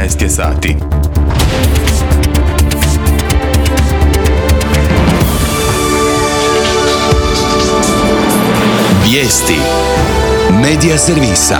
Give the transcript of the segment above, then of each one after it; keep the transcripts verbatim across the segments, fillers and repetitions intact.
trinaest je sati. Vijesti Medija servisa.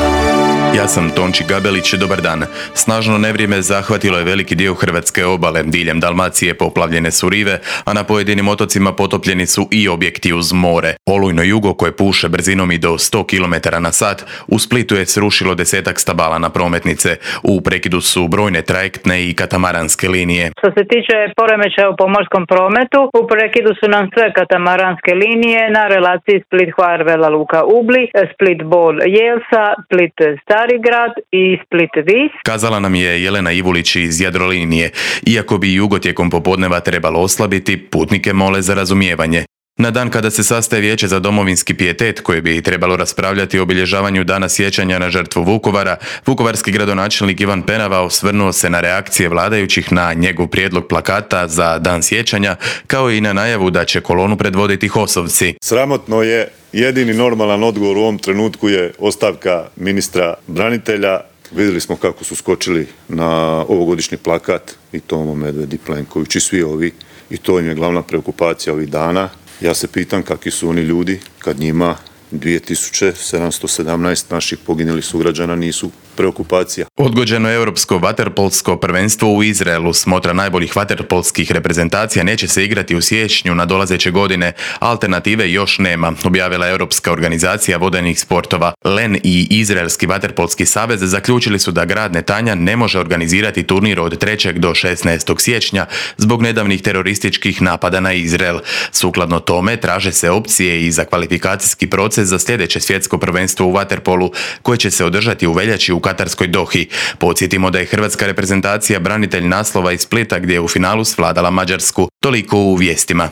Ja sam Tonči Gabelić, dobar dan. Snažno nevrijeme zahvatilo je veliki dio hrvatske obale, diljem Dalmacije poplavljene su rive, a na pojedinim otocima potopljeni su i objekti uz more. Olujno jugo koje puše brzinom i do sto kilometara na sat, u Splitu je srušilo desetak stabala na prometnice. U prekidu su brojne trajektne i katamaranske linije. Što se tiče poremećaja u pomorskom prometu, u prekidu su nam sve katamaranske linije na relaciji Split-Hvar, Vela Luka Ubli, Split-Bol Jelsa, Split-Stari grad i Split-Vis. Kazala nam je Jelena Ivulić iz Jadrolinije. Iako bi jugo tijekom popodneva trebalo oslabiti, putnike mole za razumijevanje. Na dan kada se sastaje Vijeće za domovinski pijetet, koje bi trebalo raspravljati o obilježavanju Dana sjećanja na žrtvu Vukovara, vukovarski gradonačelnik Ivan Penava osvrnuo se na reakcije vladajućih na njegov prijedlog plakata za Dan sjećanja, kao i na najavu da će kolonu predvoditi HOS-ovci. Sramotno je, jedini normalan odgovor u ovom trenutku je ostavka ministra branitelja. Vidjeli smo kako su skočili na ovogodišnji plakat i Tomo Medved i Plenković i svi ovi, i to im je glavna preokupacija ovih dana. Ja se pitam kakvi su oni ljudi kad njima dvije tisuće sedamsto sedamnaest naših poginulih sugrađana nisu preokupacija. Odgođeno europsko vaterpolsko prvenstvo u Izraelu, smotra najboljih vaterpolskih reprezentacija, neće se igrati u siječnju nadolazeće godine. Alternative još nema, objavila Europska organizacija vodenih sportova. L E N i Izraelski vaterpolski savez zaključili su da grad Netanja ne može organizirati turnir od trećeg do šesnaestog siječnja zbog nedavnih terorističkih napada na Izrael. Sukladno tome traže se opcije i za kvalifikacijski proces za sljedeće svjetsko prvenstvo u vaterpolu, koje će se održati u veljači u katarskoj Dohi. Podsjetimo da je hrvatska reprezentacija branitelj naslova iz Splita, gdje je u finalu svladala Mađarsku. Toliko u vijestima.